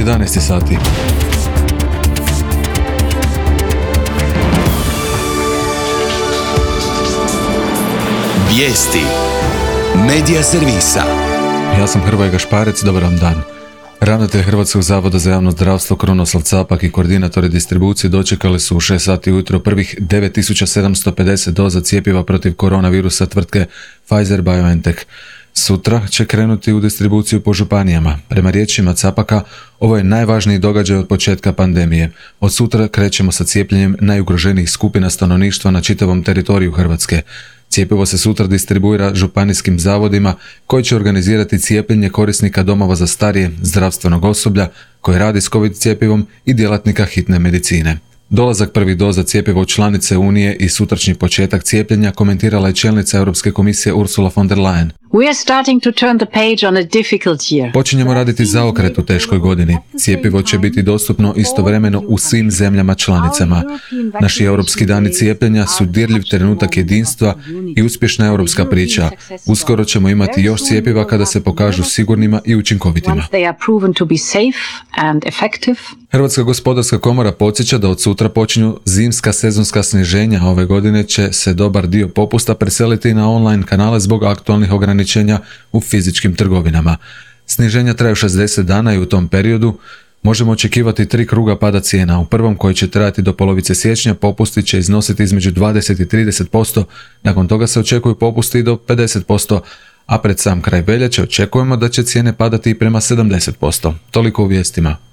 11 sati. Vijesti Medija servisa. Ja sam Hrvoje Gašparec, dobar vam dan. Ravnatelj Hrvatskog zavoda za javno zdravstvo Krunoslav Capak i koordinatori distribucije dočekali su u 6 sati ujutro prvih 9750 doza cjepiva protiv koronavirusa tvrtke Pfizer-BioNTech. Sutra će krenuti u distribuciju po županijama. Prema riječima Capaka, ovo je najvažniji događaj od početka pandemije. Od sutra krećemo sa cijepljenjem najugroženijih skupina stanovništva na čitavom teritoriju Hrvatske. Cjepivo se sutra distribuira županijskim zavodima koji će organizirati cijepljenje korisnika domova za starije, zdravstvenog osoblja koji radi s COVID cjepivom i djelatnika hitne medicine. Dolazak prvih doza cjepiva u članice Unije i sutrašnji početak cijepljenja komentirala je čelnica Europske komisije Ursula von der Leyen. We are starting to turn the page on a difficult year. Počinjemo raditi zaokret u teškoj godini. Cjepivo će biti dostupno istovremeno u svim zemljama članicama. Naši europski dani cijepljenja su dirljiv trenutak jedinstva i uspješna europska priča. Uskoro ćemo imati još cjepiva kada se pokažu sigurnima i učinkovitima. Hrvatska gospodarska komora podsjeća da od sutra počinju zimska sezonska sniženja. Ove godine će se dobar dio popusta preseliti na online kanale zbog aktualnih ograničenja u fizičkim trgovinama. Sniženja traju 60 dana i u tom periodu možemo očekivati 3 kruga pada cijena. U prvom, koji će trajati do polovice siječnja, popusti će iznositi između 20 i 30%, nakon toga se očekuju popusti i do 50%, a pred sam kraj veljače očekujemo da će cijene padati i prema 70%. Toliko u vijestima.